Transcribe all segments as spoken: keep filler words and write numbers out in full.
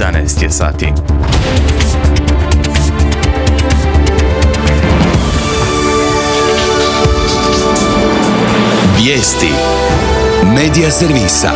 jedanaest je sati. Vijesti Medija servisa.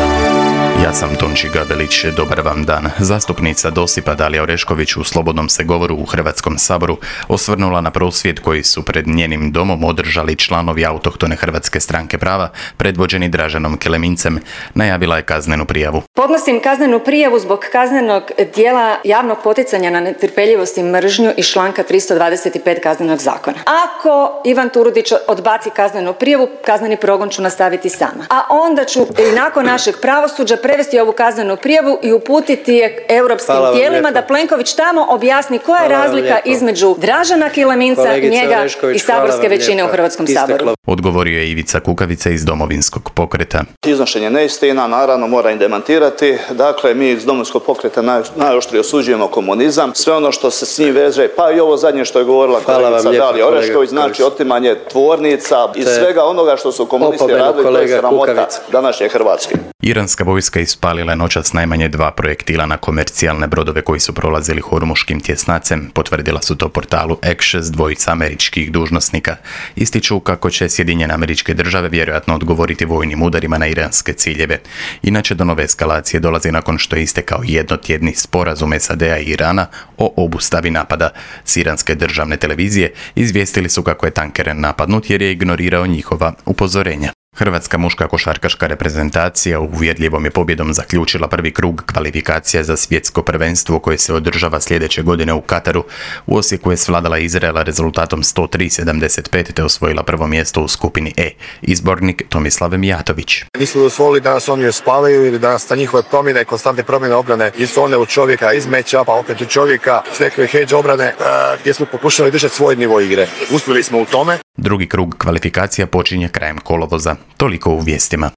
Ja sam Tonči Gabelić, dobar vam dan. Zastupnica Dosipa Dalija Orešković u slobodnom se govoru u Hrvatskom saboru osvrnula na prosvjed koji su pred njenim domom održali članovi autohtone Hrvatske stranke prava, predvođeni Draženom Kelemincem. Najavila je kaznenu prijavu. Podnosim kaznenu prijavu zbog kaznenog djela javnog poticanja na netrpeljivost i mržnju iz članka tristo dvadeset pet Kaznenog zakona. Ako Ivan Turudić odbaci kaznenu prijavu, kazneni progon ću nastaviti sama. A onda ću i nakon našeg pravosuđa prevesti ovu kaznenu prijavu i uputiti je europskim tijelima da Plenković tamo objasni koja je razlika između Dražena Keleminca, njega i saborske većine u Hrvatskom saboru. Odgovorio je Ivica Kukavica iz Domovinskog pokreta. Iznošenje neistina, naravno mora im demantirati. Dakle, mi iz Domovinskog pokreta naj, najoštrije osuđujemo komunizam. Sve ono što se s njim veže, pa i ovo zadnje što je govorila kolegica Dalija Orešković, znači otimanje tvornica i svega onoga što su komunisti radili, to je sramota današnje Hrvatske. Iranska vojska ispalila je noćas najmanje dva projektila na komercijalne brodove koji su prolazili Hormuškim tjesnacem, potvrdila su to portalu Axios dvojica američkih dužnosnika. Ističu kako će Sjedinjene Američke Države vjerojatno odgovoriti vojnim udarima na iranske ciljeve. Inače, do nove eskalacije dolazi nakon što je istekao jednotjedni sporazum S A D-a i Irana o obustavi napada. S iranske državne televizije izvijestili su kako je tanker napadnut jer je ignorirao njihova upozorenja. Hrvatska muška košarkaška reprezentacija uvjerljivom je pobjedom zaključila prvi krug kvalifikacija za svjetsko prvenstvo koje se održava sljedeće godine u Kataru. U Osijeku je svladala Izraela rezultatom sto tri sedamdeset pet te osvojila prvo mjesto u skupini E. Izbornik Tomislav Mijatović. Nisu dozvolili da nas oni spavaju ili da nas ta njihove promjene, konstantne promjene obrane iz one u čovjeka, iz meča, pa opet u čovjeka, s nekoj hedge obrane gdje smo pokušali držati svoj nivo igre. Uspjeli smo u tome. Drugi krug kvalifikacija počinje krajem kolovoza. Toliko u vijestima.